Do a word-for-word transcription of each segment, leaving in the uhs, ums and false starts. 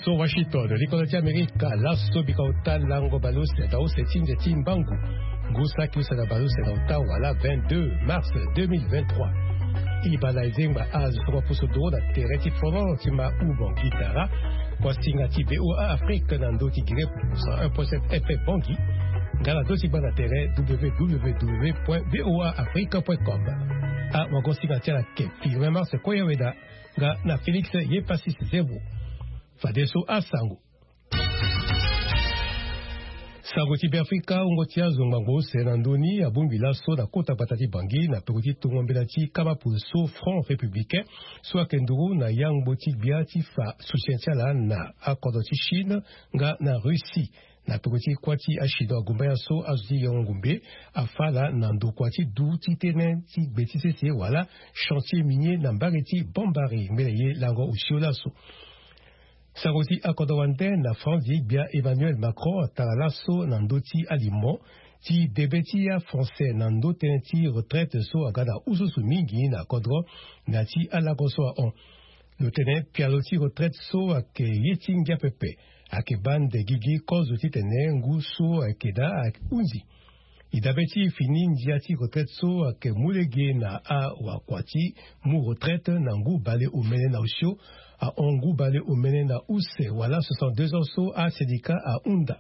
So Washington, likolo ti Amerika, laso bika ota lango baleuse na use ti nze ti mbangu, ngu saki use na baleuse na ota wala vingt-deux mars deux mille vingt-trois. Ibala ezengba azo so mapusu doro na tere ti fono ti ma u Bangui Dara, kuasinga ti VOA Afrique na ndo ti Guinée cent un point sept F M Bangui, nga na ndo ti gba na tere W W W point V O A Afrique point com. A wago singa ti ala ke Firmin Mars Koyaweda, nga na Félix Yepasis Zebo. Fadeso asango. Sango ti Beafrika, wungo ti azo ngbangbo use na ndö ni abongbi laso na kota gbata ti Bangui na peko ti tongo mbela ti kaba pulso Front Républicain so ayeke nduru na yangbo ti gbia ti fa soutien ti ala na akodro ti Chine nga na Russie. Na peko ti kuâ ti achinois agumba ya so azo ti yengo ngumbe afa ala na ndokua ti du ti tene ti gbe ti sese wala chantier minier na mbage ti Bambari ngbene ye lango osio laso. Sango ti akodro wande na France, gbia Emmanuel Macron atara laso na ndö ti alimo ti debe ti aFrançais na ndö tënë ti retraite so aga na ususu mingi na kodro na ya ti alango so ahon. Lo tene pialo ti retraite so ayeke ye ti ngia pepe, ayeke baa nde gigi kozo titene ngu so ayeke daa ayeke hunzi. E dabe ti fini ndia ti retraite so ayeke mu lege na awakua ti mu retraite na ngu bale omene na osio, ahon ngu bale omene na use wala soixante-deux ans so asyndicat ahunda.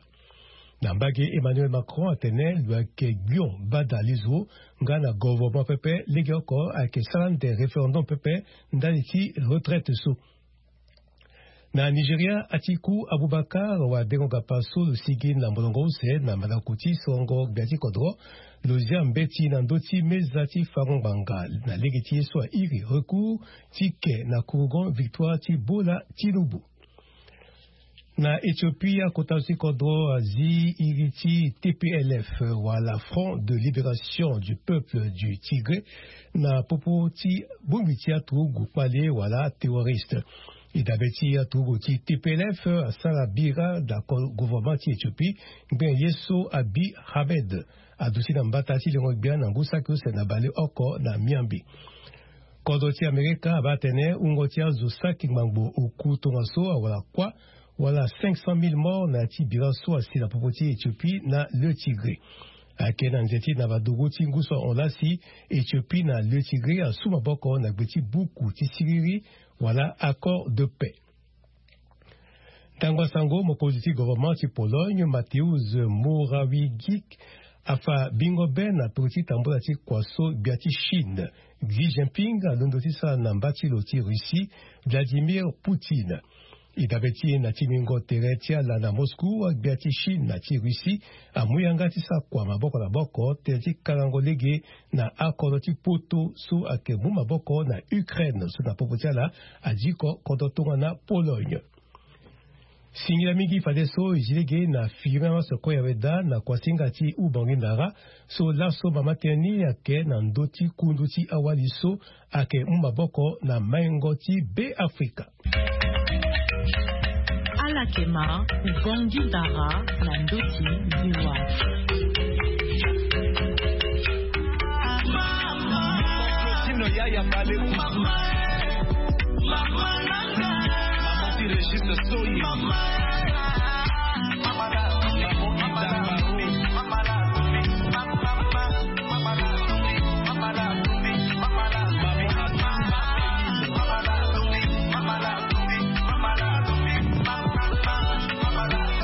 Na mbage, Emmanuel Macron atene lo yeke gbion bada lizo nga na governement pepe legeoko ayeke sara nde référendum pepe ndali ti retraite so. Na Nigeria, Atiku Abubakar wadengo gapa so lo sigi na molongo use na mandako ti songo gbia ti kodro, lo zia mbeti na ndö ti meza ti fango ngbanga na lege ti ye so airi recours ti ke na kurugon victoire ti Bola Tinubu. Na Éthiopie, akota zo ti kodro azi iri ti T P L F wala Front de Libération du Peuple du Tigré na popo ti bongbi ti aturugu kpale wala terroriste. E dabe ti aturugu ti T P L F asara bira na ko-, gouvernement ti Éthiopie ngbene ye so Abiy Ahmed aduti na mbata ti lengo gbia na ngu saki use na baleoko na miambe. Kodro ti Amerika abaa atene wungo ti azo saki ngbangbo oku tongaso awara kuâ wala cinq cent mille morts na ya ti bira so asi na popo ti Éthiopie na le Tigré. Ayeke na nze ti nava dugu ti ngu so ahon lasi, Éthiopie na le Tigré asu maboko na gbe ti buku ti siriri wala accord de paix. Ntango asango, mokonzi ti gouvernement ti Pologne, Mateusz Morawiecki, afa bingo be na peko ti tambula ti kua so gbia ti Chine, Xi Jinping, alondo ti sara na mba ti lo ti Russie, Vladimir Poutine. E dabe ti e na timbingo tere ti ala na Moscou, agbia ti Chine na ti Russie amu yanga ti sara kua maboko na maboko tënë ti kalango lege na akodro ti poto so ayeke mu maboko na Ukraine so na popo ti ala adiko kodro tongana Pologne. Singila mingi fadeso e zi lege na Firmin Mars Koyaweda na kuasinga ti Ubangui Ndara so laso mama tënë ni ayeke na ndö ti kundu ti awali so ayeke mu maboko na maingo ti Beafrika. Ala yeke ma Ubangui Ndara na ndö ti VOA.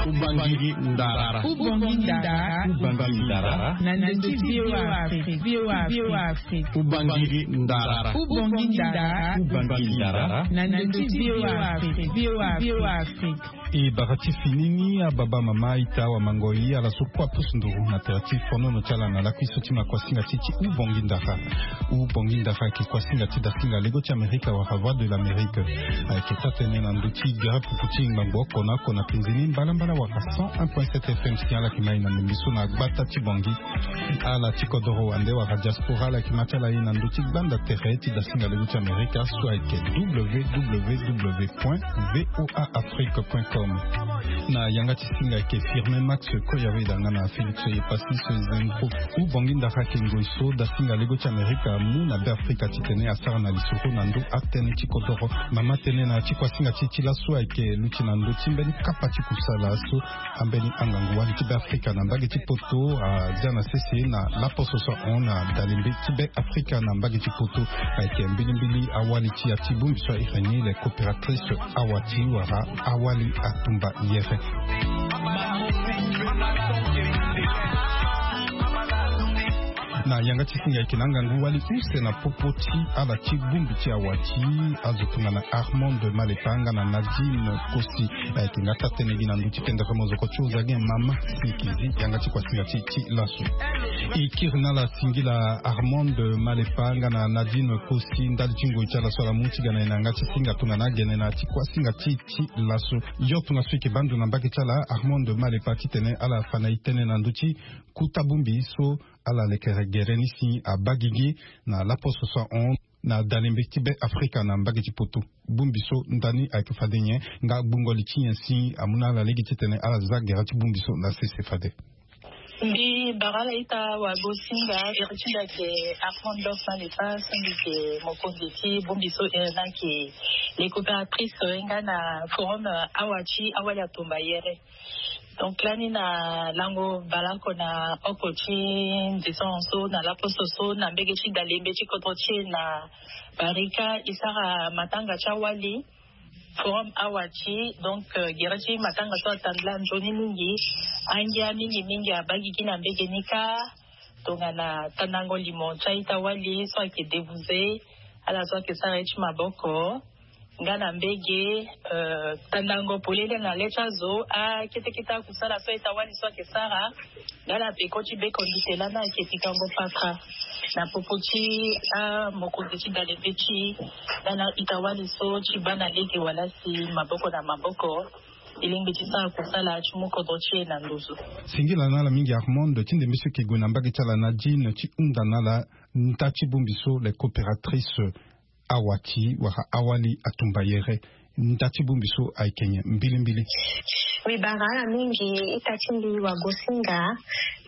Ubangui Ndara. Ubangui Ndara. Ubangui Ndara. Na ndö ti VOA Afrique. VOA Afrique. Ubangui Ndara. Ubangui Ndara. Ubangui Ndara. Na ndö ti VOA Afrique. VOA Afrique. E bara ti fini ni, ababa, mama, ita, awamangoi, ala so kue apusu nduru na tere ti fonono ti ala na lakui so ti ma kuasinga ti ti Ubangui Ndara. Ubangui Ndara ayeke kuasinga ti dasinga lego ti Amerika wala Voix de l'Amérique. Ayeke taa-tënë na ndö ti gere pupu ti ngbangbo oko na oko na penze ni mbalambala wala cent un point sept F M si ala yeke ma e na ndembe so na gbata ti Bangui. Ala ti kodoro wande wala diaspora, ala yeke ma ti ala e na ndö ti gbanda tere ti dasinga lego ti Amerika so ayeke W W W point V O A Afrique point com. Na yanga ti singa ayeke Firmin Max Koyaweda nga na Félix Epassis Zengo. Hubongi ndara ayeke ngoi so dasinga lego ti Amerika amu na Be Afrika titene asara na lisoro na ndo atënë ti kodoro. Mama tënë na ti kuasinga ti e ti laso ayeke luti na ndö ti mbeni kapa ti kusala so ambeni angangu wali ti Be Afrika na mbage ti poto azia na sese na laposo so ahon na dalembe ti Be Afrika na mbage ti poto. Ayeke mbilimbili awali ti ya ti bongbi so ahiri ni les coopératrices awati wala awali atumba yere. Na yanga ti singa ayeke na angangu wali use na popo ti ala ti bongbi ti awati azo tongana Armand Malepa nga na Nadine Kosi. Ayeke nga taa-tënë gi na ndö ti pendere mozoko ti oza gi mama si e yeke zi yanga ti kuasinga ti e ti laso. E kiri na ala singila Armand Malepa nga na Nadine Kosi ndali ti ngoi ti ala so ala mu ti ga na e na yanga ti singa tongana agene na ya ti kuasinga ti e ti laso. Yo tongaso e yeke baa ndo na mbage ti ala Armand Malepa titene ala fa na e tënë na ndö ti kota bongbi so ala lekere gere ni si abaa gigi na laposo so ahon na dalembe ti Be Afrika na mbage ti poto. Bongbi so ndani ayeke fade nyen nga gbungo li ti nyen si amu na ala lege titene ala za gere ti bongbi so na sese fade? Mbi bara ala ita wagosinga iri ti mbi ayeke Armand Malepa so mbi yeke mokonzi ti bongbi so iri ni ayeke les coopératrices nga na forum awati awali atumba yere. Donc lani na lango baleoko na oko ti ndison so na laposo so na mbage ti dalembe ti kodro ti e na Barika e sara matanga ti awali forum awati. Donc gere ti matanga so atambula nzoni mingi. Angia mingi mingi abaa gigi na mbage ni kâ tongana tandango limo ti a-ita wali so ayeke débouser ala so ayeke sara ye ti maboko nga na mbage tandango polele na le ti azo akete kete akusala so a-ita wali so ayeke sara. Nga na peko ti beko ndite lani ayeke pikango paka na popo ti amokonzi ti dalembe ti nga na a-ita wali so ti baa na lege wala si maboko na maboko. E lingbi ti sara kusala ti mu kodro ti e na nduzu. Singila na ala mingi Armand ti ndembe so e yeke gue na mbage ti ala Nadine ti hunda na ala nda ti bongbi so les coopératrices awati wala awali atumba yere. Nda ti bongbi so ayeke nyen mbilimbili? Mbi bara ala mingi ita ti mbi wagosinga.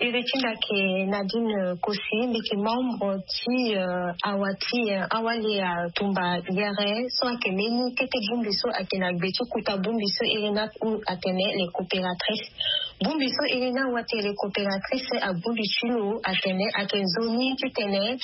Iri ti mbi ayeke Nadine Kosi, mbi yeke membre ti awati awali atumba yere so ayeke mbeni kete bongbi so ayeke na gbe ti kota bongbi so iri ni atene les coopératrices. Bongbi so iri ni awati les coopératrices abu li ti lo atene ayeke nzoni titene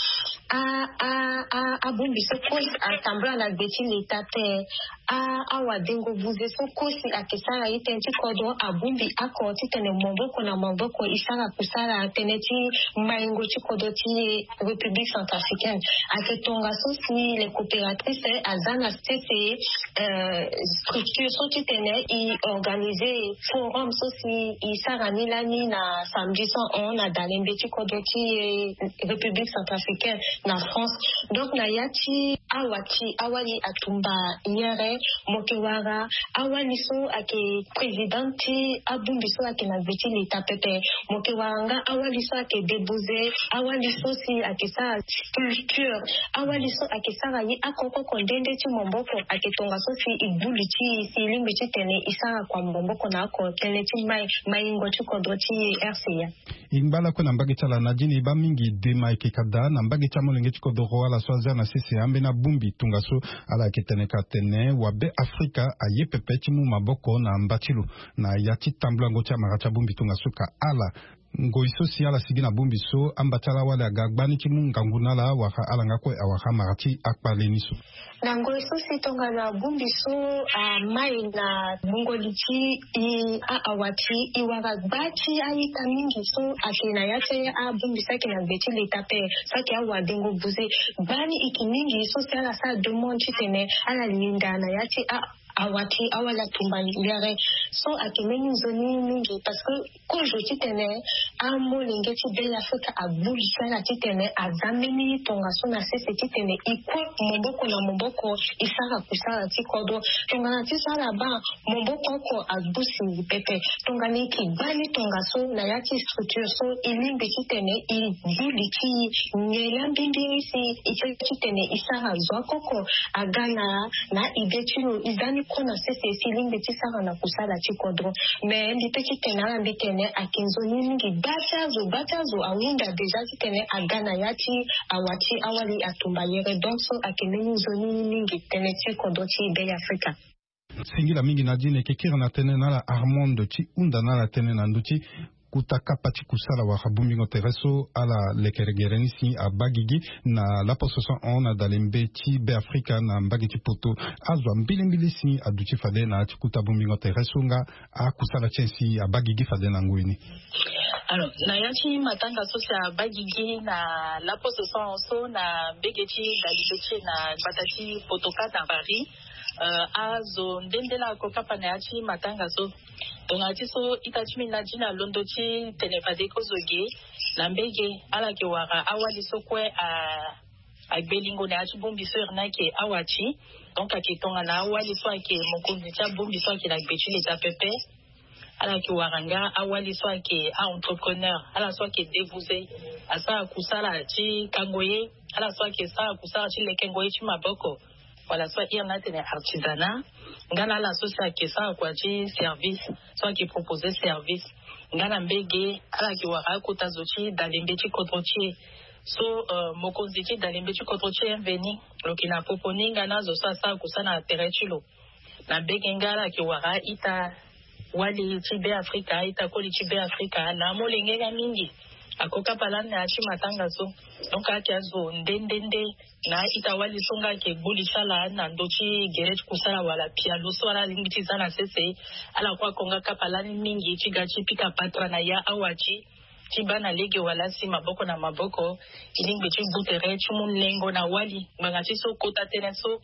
a a a abongbi so kue atambula na gbe ti leta te. A awadengo buze so kue si ayeke sara ye tënë ti kodro abongbi oko titene maboko na maboko e sara kusala tënë ti maingo ti kodro ti République centrafricaine. Ayeke tongaso si les coopératrices aza na sese structure so titene e organiser forum so si e sara ni lani na samedi so ahon na dalembe ti kodro ti République centrafricaine na France. Donc na ya ti awati awali atumba yere, mo yeke wara awali so ayeke présidente ti abongbi so ayeke na gbe ti leta pepe. Mo yeke wara nga awali so ayeke débouser, awali so si ayeke sara sculpture, awali so ayeke sara ye oko oko nde nde ti maboko. Ayeke tongaso si e gbu li ti e si e lingbi titene e sara kua maboko na oko tënë ti mai maingo ti kodro ti e R C A. E ngba lakue na mbage ti ala Nadine, e baa mingi dema ayeke ka daa na mbage ti amolenge ti kodoro ala so azia na sese ambeni abongbi tongaso ala yeke tene ka tene wa Be Afrika aye pepe ti mu maboko na mba ti lo na ya ti tambulango ti amara ti abongbi tongaso ka ala. Ngoi so si ala sigi na bongbi so amba ti ala wali aga gbani ti mu ngangu na ala wala ala nga kue awara amara ti akpale ni so. Na ngoi so si tongana bongbi so amai na gbungo li ti e a awati e wara gba ti a-ita mingi so ayeke na ya ti abongbi so ayeke na gbe ti leta ape so ayeke awadengo buze. Gbani e yeke mingi so si ala sara demande titene ala linda na ya ti a awati awali atumba yere. So ayeke mbeni nzoni mingi parce que kozo titene amolenge ti Be Afrika agbu li ti ala titene aza mbeni tongaso na sese titene e kue maboko na maboko e sara kusala ti kodro. Tongana ti so ala baa maboko oko agbu singi pepe. Tongana e yeke gbani tongaso na ya ti structure so e lingbi titene e gbu li ti e nyen laa mbirimbiri si e tene titene e sara zo akoko aga na na ide ti lo e za ni kue na sese si e lingbi ti sara na kusala. ti kodro. Mais mbi pe ti tene ala mbi tene ayeke nzoni mingi. Gba ti azo, gba ti azo ahunda déjà ti tene aga na ya ti awa ti awali atumba yere. Donc so ayeke mbeni nzoni mingi tene ti kodro ti Bêafrika. Singila mingi Nadine, e yeke kiri na tënë na ala Armand ti hunda na ala tënë na ndö ti kota kapa ti kusala wala bongbingo tere so ala lekelegere ni si abaa gigi na laposo so ahon na dalembe ti Bêafrika na mbage ti poto. Azo ambilimbili si aduti fade na ya ti kota bongbingo tere so nga akusala ti e si abaa gigi fade na ngoi ni. Alors, na ya ti matanga so si abaa gigi na laposo so ahon so na mbage ti dalembe ti e na gbata ti poto kâ na Paris. Euh, azo nde nde laa ako kapa na ya ti matanga so. Tongana ti so ita ti mbi Nadine alondo ti tene fade kozo ge na mbage ala yeke wara awali so kue a agbe lingo na ya ti bongbi so iri ni ayeke awa ti. Donc ayeke tongana awali so ayeke mokonzi ti abongbi so ayeke na gbe ti leta pepe. Ala yeke wara nga awali so ayeke a-entrepreneur, ala so ayeke débouze, asara kusala ti kango ye, ala so ayeke sara kusala ti lekengo ye ti maboko, wala so iri ni atene artisanat. Nga na ala so si ayeke sara kua ti service, so ayeke proposer service. Nga na mbage ala yeke wara akota zo ti dalembe ti kodro ti e. So euh, mokonzi ti dalembe ti kodro ti e mveni lo yeke na popo ni nga na azo so asara kusala na tere ti lo. Na mbage nga ala yeke wara a-ita wali ti Bêafrika, a-ita koli ti Bêafrika na amolenge nga mingi. Ako kapa lani na ya ti matanga so. Donc ayeke azo nde nde nde na a-ita wali so nga ayeke gbu li ti ala na ndö ti gere ti kusala wala pialo so ala lingbi ti za na sese. Ala kue ako nga kapa lani mingi ti ga ti pika patara na ya awa ti ti baa na lege wala si maboko na maboko e lingbi ti gbu tere ti mu nengo na wali ngbanga ti so kota tënë so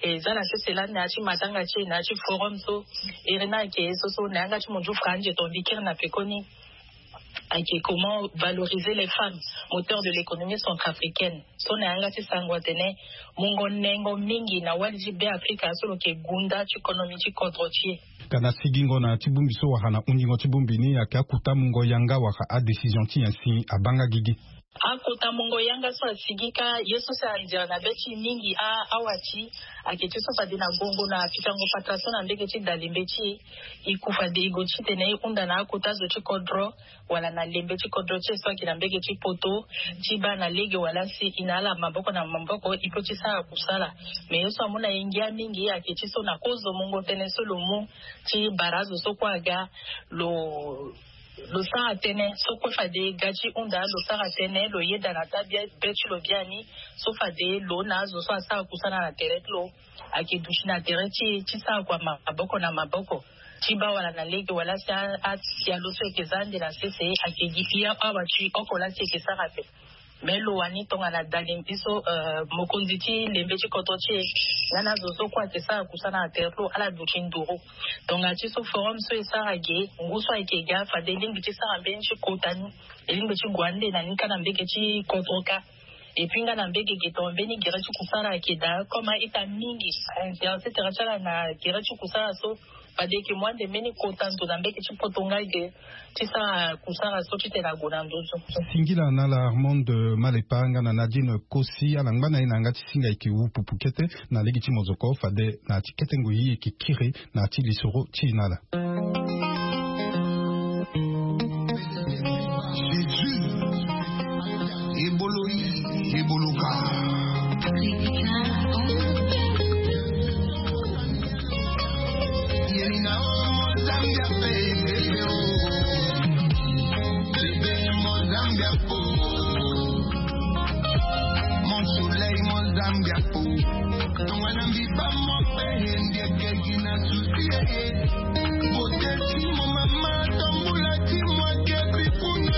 e za na sese lani na ya ti matanga ti e na ya ti forum so. Iri ni ayeke ye so so na yanga ti munzu franzi e tonga mbi kiri na pekoni. Ayeke comment valoriser les femmes, moteur de l'économie centrafricaine. So na yanga ti sango atene mungo nengo mingi na wali ti Bêafrika so lo yeke gunda ti konomi ti kodro ti e. Ka na sigingo na ya ti bongbi so wala na hunzingo ti bongbi ni ayeke akota mungo yanga wala adécision ti nyen si abaa nga gigi? Akota mungo yanga so asigi kâ ye so si anzere na be ti e mingi a awa ti ayeke ti so fade na gongo na pikango patara so na mbage ti dalembe ti e. E ku fade e gue ti tene e hunda na akota zo ti kodro wala na lembe ti kodro ti e so ayeke na mbage ti poto ti baa na lege wala si e na ala maboko na maboko e pe ti sara kusala. Me ye so amu na e ngia mingi ayeke ti so na kozo mungo tënë so lo mu ti bara azo so kue aga lo lo sara tënë so kue fade ga ti hunda lo sara tënë lo yeda na taa be ti lo biani. So fade lo na azo so asara kusala na tere ti lo ayeke duti na tere ti e ti sara kua maboko na maboko ti baa wala na lege wala si asia lo so eke za ande na sese ake gi pia awa ti oko laa si eke sara ape. Me lo wani tongana dalembe so mokonzi ti lembe ti kodro ti e nga na azo so kue ake sara kusana na tere ti lo ala duti nduru. Tongana ti so forum so e sara ge ngu so ayeke ga fade e lingbi ti sara mbeni ti kota ni e lingbi ti gue ande na ni kâ na mbege ti kodro kâ. Epui nga na mbege ge tongana mbeni gere ti kusala ayeke daa comme a-ita mingi a-intéressé tere ti ala na gere ti kusala so. Fade eke mu ande mbeni kota ndo na mbege ti poto nga ge ti sara kusala so ti tene ague na nduzu. Singila na ala Armande Malepa nga na Nadine Kosi ala ngba na e na yanga ti singa eke wu pupu kete. Na lege ti mozoko fade na ya ti kete ngoi eke kiri na ya ti lisoro ti e na ala. Jésus, ebolo yi, ebolo ka. Yelina o Mozambia pe, bebe o. Bebe Mozambia po. Mon soleil Mozambia po. Tongana mbi baa mo pe, ndieke gi na souci e. Beauté ti mo mama, tambula ti mo ake pi kuna.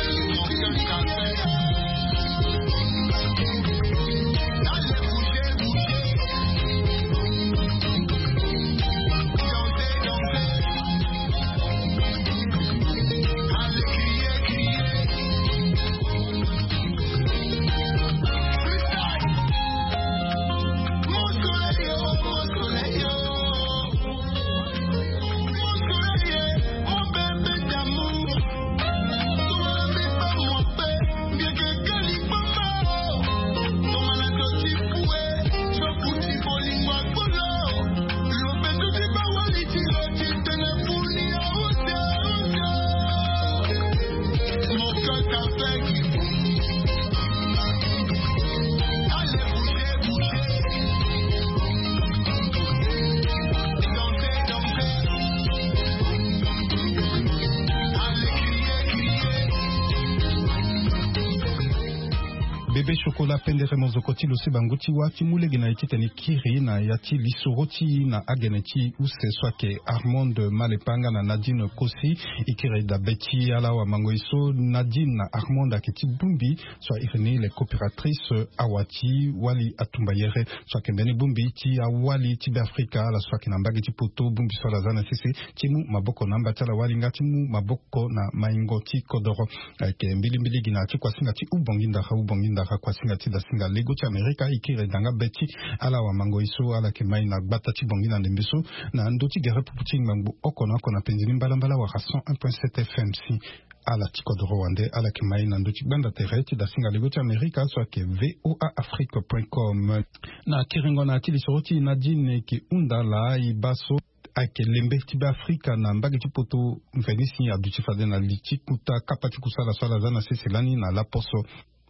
Pe chokola pendere mozoko ti lo si bangu ti wâ ti mu lege na e titene e kiri na ya ti lisoro ti e na agene ti use so ayeke Armande Malepa nga na Nadine Kosi. E kiri dabe ti ala awamango e so Nadine na Armande ayeke ti bongbi so a iri ni les coopératrices awa ti wali atumbayere so ayeke mbeni bongbi ti awali ti Beafrika ala so ayeke na mbage ti poto bongbi so ala za na sese ti mu maboko na amba ti ala wali nga ti mu maboko na maingo ti kodoro. Ayeke mbilimbili gi na ya ti kuasinga ti ubongi ndara ubongi ndara kuasinga ti dasinga lego ti Amerika e kiri danga be ti ala awamango e so ala yeke mai na gbata ti bongi na ndembe so na ndö ti gere pupu ti ngbangbo oko na oko na penzi ni mbalambala wala cent un point sept F M si ala ti kodoro wande ala yeke mai na ndö ti gbanda tere ti dasinga lego ti Amerika so ayeke V O A Afrique point com. Na kiringo na ya ti lisoro ti e Nadine e ke hunda laa e baa so ayeke lembe ti Beafrika na mbage ti poto mveni si aduti fade na li ti kuta kapa ti kusala so ala za na sese lani na laposo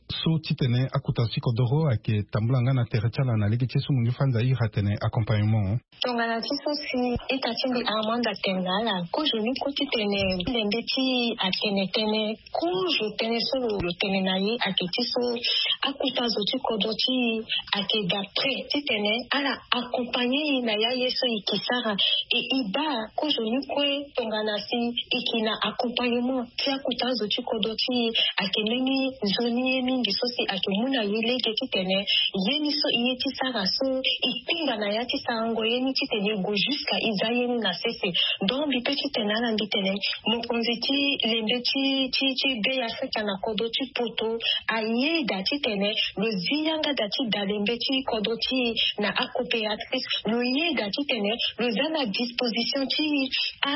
so titene akuta zo ti kodoro ayeke tambula nga na tere ti ala na lege ti e so mo ndio fanza iri atene accompagnement. Tongana ti so si ita ti mbi Armande atene na ala kozo ni kue titene lembe ti atene tënë kozo tënë so lo tene na ye ayeke ti so akuta zo ti kodro ti e ayeke d'après titene ala accompagner e na ya ye so e ke sara. E e baa kozo ni kue tongana si e ke na accompagnement ti akuta zo ti kodro ti e ayeke mbeni nzoni ye mingi so si ayeke mu na e lege titene ye ni so e ye ti sara so e kpingba na ya ti sarango ye ni titene e gue jusqu'à e za ye ni na sese. Donc mbi pe titene ala mbi tene mokonzi ti lembe ti ti ti Beafrika na kodro ti poto ayeda titene lo zi yanga da ti dalembe ti kodro ti e na acoopératrice lo yeda titene lo za na disposition ti e a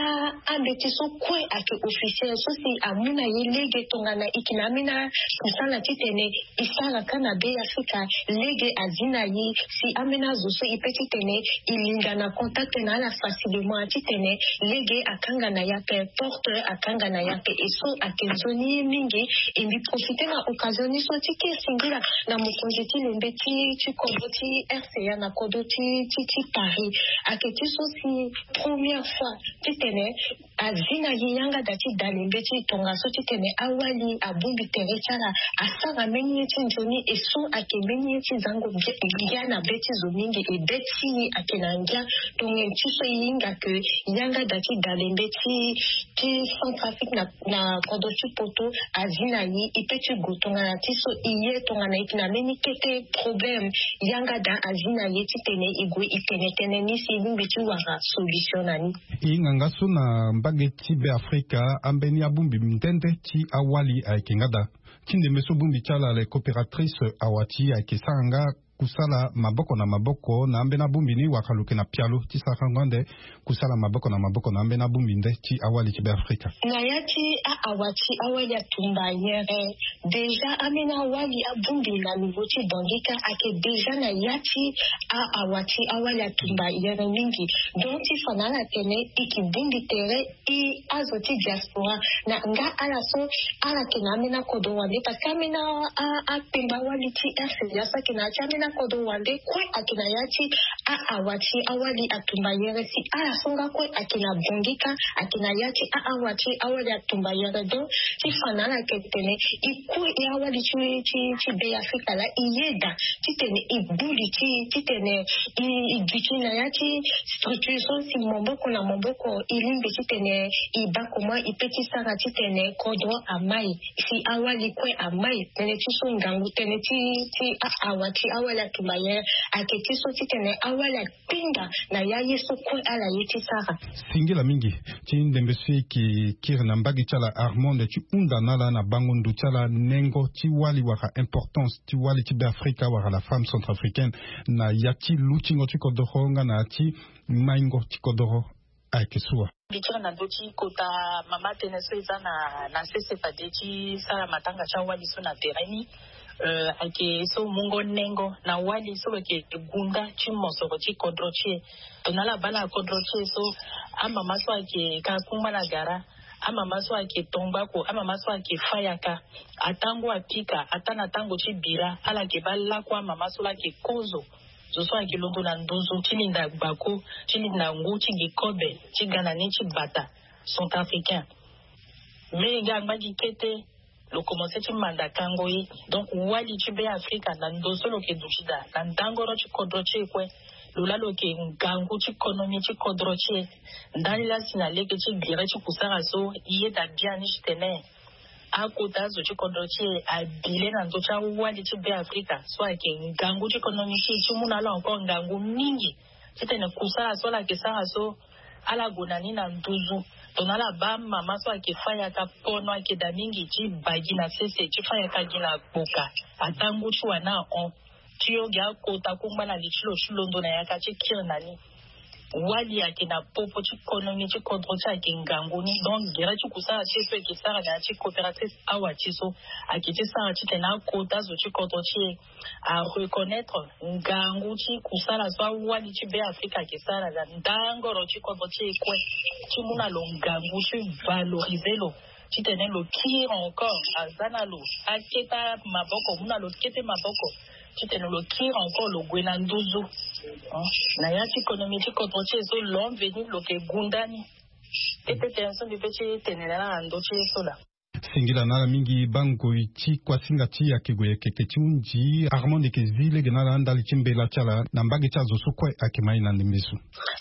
ambeti so kue ayeke officiel so si amu na e lege tongana e ke na ambeni akusala titene e sara ka na Beafrika lege azi na e si ambeni azo so e pe titene e linga na contact na ala facilement titene lege akanga na e ape porte akanga na e ape e so ayeke nzoni ye mingi. E mbi profiter na occasion ni so ti ke singila na mokonzi ti lembe ti ti kodro ti R C A na kodro ti ti ti Paris ayeke ti so si première fois titene azi na e yanga da ti dalembe ti e tongaso titene awali abongbi tere ti ala asara mbeni ye ti nzoni e so ayeke mbeni ye ti zango ngia na be ti zo mingi e be ti e ayeke na ngia. Tongana ti so e hinga ke yanga da ti dalembe ti ti Centrafrique na na kodro ti poto azi na e e pe ti gue tongana ti so e ye tongana e yeke na mbeni kete problème yanga da azi na e titene e gue e tene tënë ni si e lingbi ti wara solution na ni. E hinga nga so na mbage ti Beafrika ambeni abongbi nde nde ti awali ayeke nga daa ti ndembe so bongbi ti ala les coopératrices awa ti e ayeke sara nga kusala maboko na maboko na ambeni abongbi ni wala lo yeke na pialo ti sarango ande kusala maboko na maboko na ambeni abongbi nde ti awali ti Beafrika. Na ya ti a awa ti awali atumba yere déjà ambeni awali abongbi na niveau ti Bangui ka ayeke déjà na ya ti a awa ti awali atumba yere mingi. Donc ti fa na ala tene e ke bongbi tere e azo ti diaspora na nga ala so ala yeke na ambeni akodro wande parce que ambeni akpengba wali ti R C A so ayeke na ya ti ambeni akodro wande kue ayeke na ya ti a awa ti awali atumba yere si ala so nga kue ayeke na Bangui ka ayeke na ya ti a awa ti awali atumba yere. Donc ti fa na ala yeke tene e kue e awali ti ti ti Beafrika laa e yeda titene e gbu li ti titene e e duti na ya ti structure so si maboko na maboko e lingbi titene e baa comment e pe ti sara titene kodro amai si awali kue amai tënë ti so ngangu tënë ti ti a awa ti awali atumba yere ayeke ti so titene awali akpinga na ya ye so kue ala ye ti sara. Singila mingi ti ndembe so e ke kiri na mbage ti ala Armande ti hunda na ala na bango ndo ti ala nengo ti wali wala importance ti wali ti Beafrika wala la femme centrafricaine na ya ti lutingo ti kodoro nga na ya ti maingo ti kodoro. Ayeke so wa. Mbi kiri na ndö ti kota mama tënë so e za na na sese fade ti sara matanga ti awali so na tere ni. Ayeke so mungo nengo na wali so lo yeke gunda ti mosoro ti kodro ti e. Tongana ala baa na kodro ti e so amama so ayeke ka kungba na gara, amama so ayeke tongbako, amama so ayeke fâ yaka, atango apika ataa na tango ti bira ala yeke baa lakue amama so laa ayeke kozo zo so ayeke londo na nduzu ti linda gbako ti linda ngu ti gi kobe ti ga na ni ti bata centrafricain. Mais nga angba gi kete lo komense ti manda kango ye. Donc wali ti Be Afrika na ndo so lo yeke duti daa na ndangoro ti kodro ti e kue. Lo laa lo yeke ngangu ti konomi ti kodro ti e. Ndani laa si na lege ti gere ti kusara so e yeda biani titene akota azo ti kodro ti e abile na ndö ti awali ti Be Afrika so ayeke ngangu ti konomi ti e ti mu na ala encore ngangu mingi. Titene kusara so ala yeke sara so ala gue na ni na nduzu. Tongana ala baa mama so ayeke fâ yaka pono ayeke daa mingi ti baa gi na sese ti fâ yaka gi na gboka. Ataa ngu ti wani ahon ti yo ge akota kungba na li ti lo ti londo na yaka ti kiri na ni. Wali ayeke na popo ti konomi ti kodro ti e ayeke ngangu ni. Donc gere ti kusara ti e so e yeke sara na ya ti coopérative awa ti so ayeke ti sara titene akota zo ti kodro ti e areconnaitre ngangu ti kusala so awali ti Be Afrika ayeke sara na ndangoro ti kodro ti e kue ti mu na lo ngangu ti valoriser lo titene lo kiri encore aza na lo akete maboko mu na lo kete maboko titene lo kiri encore lo gue na nduzu. Na ya ti konomi ti kodro ti e so l'homme venu lo yeke gunda ni. Tete tene so mbi pe ti tene na ala na ndö ti e so laa. Singila na ala mingi bangoi ti kuasinga ti e ayeke gue yeke yeke ti hunzi. Armand yeke zi lege na ala ndali ti mbela ti ala na mbage ti azo so kue ayeke ma e na ndembe so.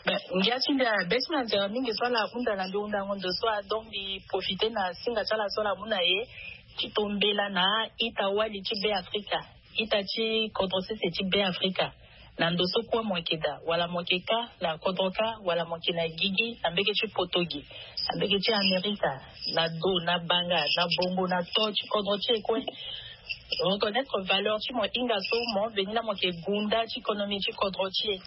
Ben ngia ti mbi abe ti na nzere mingi so ala hunda na mbi hundango ndo so a donc mbi profite na singa ti ala so ala mu na e ti to mbela na a-ita wali ti Be Afrika, ita ti kodro sese ti Be Afrika. Na ndo so kue mo yeke daa wala mo yeke kâ na kodro kâ wala mo yeke na gigi na mbege ti poto gi na mbege ti Amerika, na do na banga na bongo na to ti kodro ti e kue. Reconnaître valeur ti mo hinga so mo veni laa mo yeke gunda ti konomi ti kodro ti e.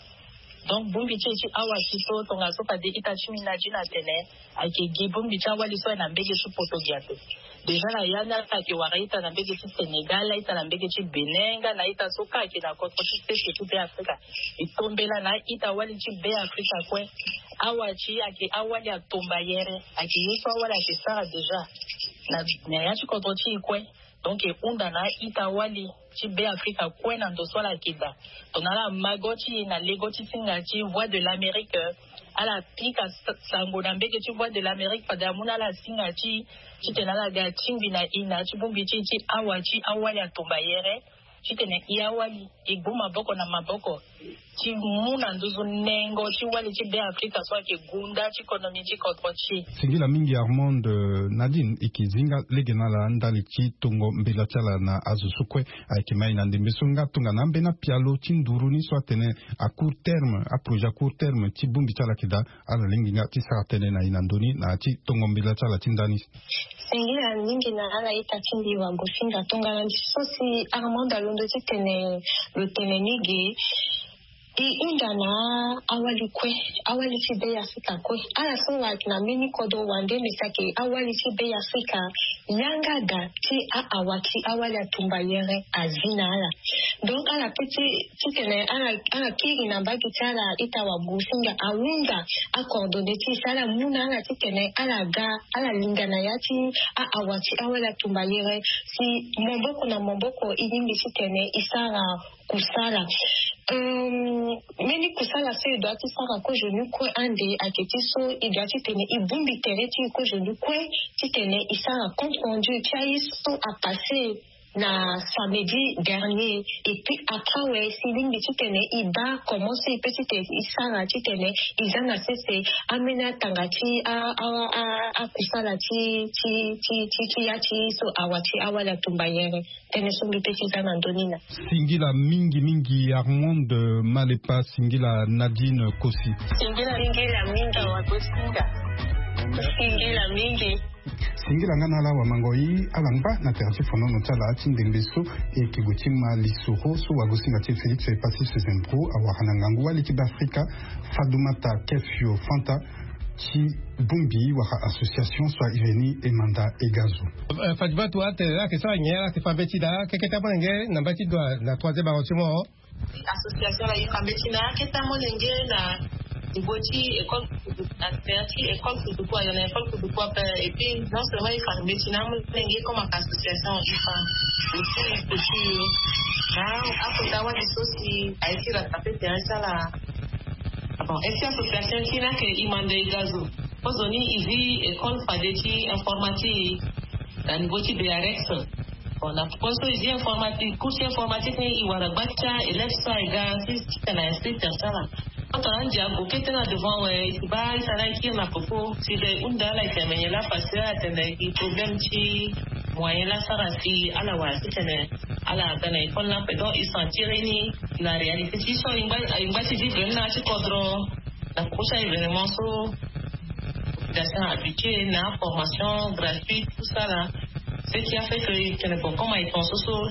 Donc bongbi ti e ti awa ti so tongaso fade ita ti mbi na ti na tene ayeke gi bongbi ti awali so aye na mbege ti poto gi ape. Déjà na ya ni ala yeke wara ita na mbege ti Sénégal, ita na mbege ti Bénin nga na ita so kâ ayeke na kodro ti sese ti Be Afrika. E tombela na a-ita wali ti Be Afrika kue. Awa ti e ayeke awali atombayere, ayeke ye so awali ayeke sara déjà na ya ti kodro ti e kue. Donc e hunda na a-ita wali ti Be Afrika kue na ndo so ala yeke daa. Tongana ala ma go ti e na lego ti singa ti Voix de l'Amérique, ala pika sango na mbege ti Voix de l'Amérique fade amu na ala singa ti e titene ala ga tingbi na e na ya ti bongbi ti e ti awa ti awali atombayere titene e awali e gbu maboko na maboko ti mu na nduzu nengo ti wali ti Be Afrika so ayeke gunda ti konomi ti kodro ti e. Singila mingi Armand. Nadine e yeke zi nga lege na ala ndali ti tongo mbela ti ala na azo so kue ayeke ma e na ndembe so nga tongana ambeni apialo ti nduru ni so atene a court terme, aprojet a court terme ti bongbi ti ala ayeke daa, ala lingbi nga ti sara tënë na e na ndö ni na ya ti tongo mbela ti ala ti ndani. Singila mingi na ala ita ti mbi wagosinga tongana ndi so si Armand alondo titene lo tene ni ge. E hunda na awali kue, awali ti Be Afrika kue. Ala so wara ayeke na mbeni kodro wande me si ayeke awali ti Be Afrika yanga daa ti a-awa ti awali atumba yere azi na ala. Donc ala pe ti titene ala kiri na mbage ti ala ita wagosinga ahunda acoordonné ti e si ala mu na ala titene ala ga ala linga na ya ti a-awa ti awali atumba yere si maboko na maboko e lingbi titene e sara kusala. Mbeni kusala so e doit ti sara kozo ni kue ande ayeke ti so e doit titene e bongbi tere ti e kozo ni kue titene e sara compte rendu ti aye so apasse na samedi dernier. Et puis après awe si e lingbi titene e baa comment so e pe titene e sara titene e za na sese ambeni atanga ti a a a akusala ti ti ti ti ti ya ti so awa ti awali atumba yere. Tënë so mbi pe ti za na ndö ni na. Singila mingi mingi Armand Malepa, singila Nadine Kosi. Singila mingi awa gosinga. Singila mingi. Singila nga na ala wamangoi ala ngba na tere ti fonono ti ala ti ndembe so e yeke gue ti ma lisoro so wagosinga ti e Félix Passy Sezembro awara na ngangu wali ti Be Afrika Fatoumata Kefio Fanta ti bongbi wala association so airi ni Emanda Egazo. Fatoumata atene ala yeke sara nyen, ala yeke fa mbeti daa keke ti amolenge na mbeti dua na troisième arrondissement. Association la e fa mbeti na akete amolenge na niveau ti école, na tere ti école kuduku ayo na école kuduku ape. Et puis non seulement e fa mbeti na amolenge comme aka association e fa aussi culture na akota wali so si aye ti rattrape tere ti ala. Bon, e ti association ti ni ayeke Emanda Egazo. Kozoni e zi école fade ti informatique. na niveau ti bearex. Bon, na poko so e zi informatique, cours ti informatique ni e wara gba ti a élève so aye ga si titene a inscrire ti asara. Kota na ndia ago kete na devant awe e si baa e tara e kiri na poko si le hunda ala e tene mene la facile ala tene e gi problème ti moyen la sara si ala wara titene ala ga na école ni ape. Donc e sentir ni na réalité ti so e ngba ti vivre ni na ya ti kodro. Na poko ti a événement so population habituée na formation gratuite tout ça là. Ce qui a fait que e tene bon comme aye ton so so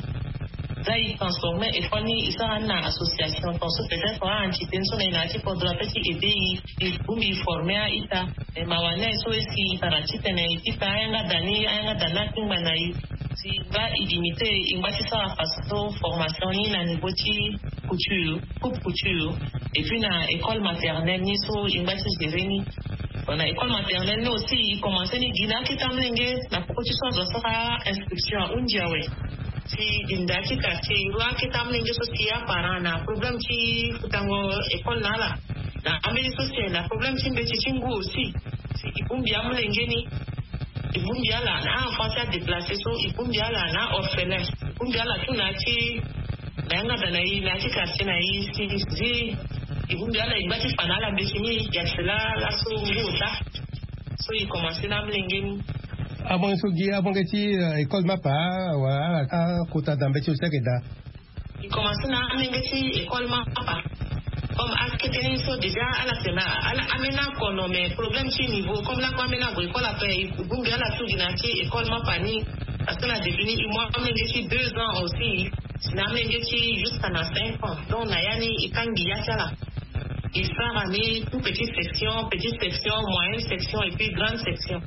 za e transformer école ni e sara ni na association ton so peut-être a entité ni so na e na ya ti kodro ape ti aider e e bongbi e former a-ita. E mawa ni aye so e si e tara titene e ti ta ayanga da ni ayanga da ni akingba na e. Si e ngba e limité e ngba ti sara façon formation ni na niveau ti couture, coupe couture. Et puis na école maternelle ni so e ngba ti gérer ni. Bon, na école maternelle ni aussi e commencer ni gi na akete amolenge na poko ti so azo asara inscription ahundi awe. Si e gi na ya ti quartier e rua akete amolenge so si aparent na problème ti futango école na ala. Na ambeni so si aye na problème ti mbeti ti ngu aussi. Si e bongbi amolenge ni e bongbi ala na a-enfant ti adéplacé so e bongbi ala na a-orphelin e bongbi ala tout na ya ti na yanga da na e na ya ti quartier na e si zi e bongbi ala e ngba ti fa na ala mbeti ni. Yasela laso ngu ota so e commencer na amolenge ni. Avange so gi avange ti école mapa wala ala akota da mbeti so si ayeke daa. E commencer na amolenge ti école mapa. Comme akete ni so déjà ala tena ala ambeni akono mais problème ti niveau comme lakue ambeni ague école ape e bongbi ala tout gi na ya ti école mapa ni. Parce que na début ni e mu amolenge ti deux ans aussi si na amolenge ti jusqu'à na cinq ans. Donc na ya ni e kangbi ya ti ala. E sara ni tout petite section, petite section, moyenne section et puis grande section.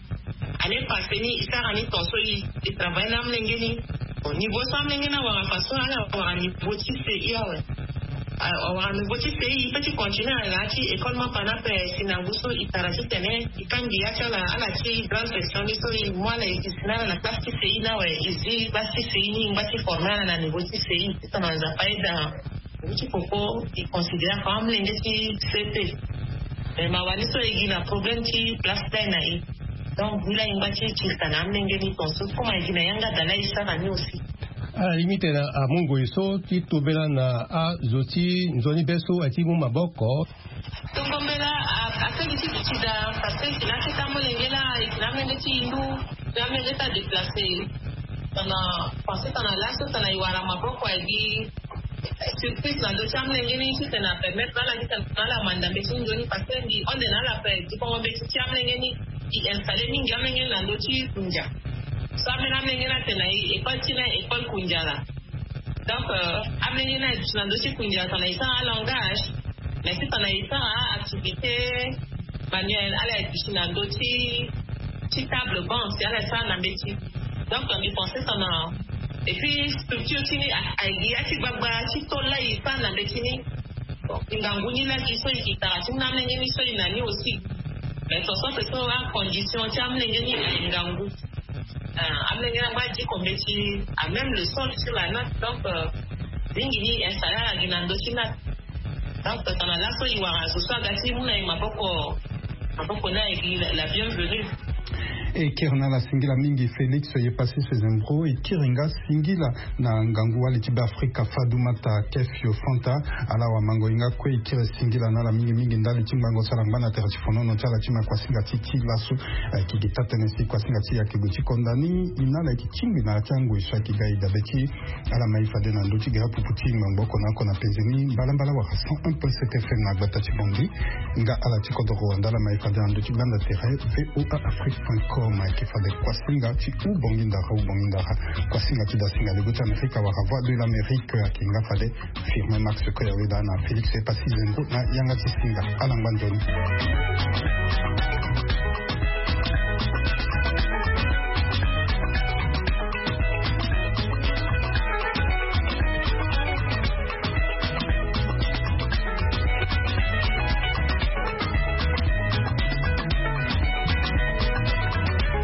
Année passée ni e sara ni ton so e travailler na amolenge ni. Bon niveau so amolenge ni awara façon ala wara niveau ti C I awe. Awara niveau ti C I e pe ti continuer na ya ti école mapa ni ape si na ngu so e tara titene e kangbi ya ti ala ala ti grande section ni so e mu ala e gi si na ala na classe ti C I ni awe e zi classe ti C I ni e ngba ti former ala na niveau ti C I. Titene Nzapa aide ala. Ngu ti poko e considérer comme amolenge ti C P. Mais mawa ni so e gi na problème ti place ti aye na e. Donc ngu la e ngba ti tirisa na amolenge ni ton so comme aye gi na yanga da la e sara ni aussi. Ala limite na amu ngoi so ti tobela na azo ti nzoni be so aye ti mu maboko. Tokombela asengisi ti ti da parce que e ti na akete amolenge la e ti na amolenge ti hindu. Ti amolenge ti adéplacé. Tana pensé tana laso tana e wara maboko aye gi surprise na ndö ti amolenge ni titene apermettre ala titene ala manda mbeti ni nzoni parce que mbi hon nde na ala ape dikongo mbeti ti amolenge ni. E installer mingi amolenge ni na ndö ti kundia. So ambeni amolenge ni atene na e école ti na école kundia la. Donc amolenge ni aye duti na ndö ti kundia tana e sara alangage. Mais titene e sara activité manuel ala ye duti na ndö ti ti table banc si ala ye sara na mbeti. Donc mbi pensé tana et puis structure ti ni aye gi ya ti gbagba ti tol la e sara na mbeti ni. Ngangu ni la gi so e gi tara ti ni na amolenge ni so e na ni aussi. Mais ton so pe so acondition ti amolenge ni aye ngangu. Amolenge ni angba diko mbeti a même le sol sur la natte donc mingi ni installer ala gi na ndö ti natte. Donc tongana laso e wara zo so aga ti mu na e maboko. Maboko ni aye gi la bienvenue. E kiri na ala singila mingi Félix Yepassis Zembro e kiri nga singila na ngangu wali ti Beafrika Fatoumata Kefio Fanta. Ala wamango e nga kue e kiri singila na ala mingi mingi ndali ti ngbanga so ala ngba na tere ti fonono ti ala ti ma kuasinga ti ti laso. Ayeke gi taa-tënë si kuasinga ti e ayeke gue ti konda ni. E na ala e yeke tingbi na ya ti angoi so ayeke ga e dabe ti ala ma e fade na ndö ti ga ya pupu ti ngbangbo oko na oko na penze ni mbalambala wala cent un point sept F M na gbata ti Bangui. Nga ala ti kodro Rwanda ala ma e fade na ndö ti gbanda tere V O A Afrique point com. Ayeke fade kuasinga ti Ubongi Ndara Ubongi Ndara. Kuasinga ti dasinga lego ti Amerika wala Voix de l'Amérique ayeke nga fade Firmin Max Koyaweda na Félix Epassi Zengo na yanga ti singa. Ala ngba nzoni.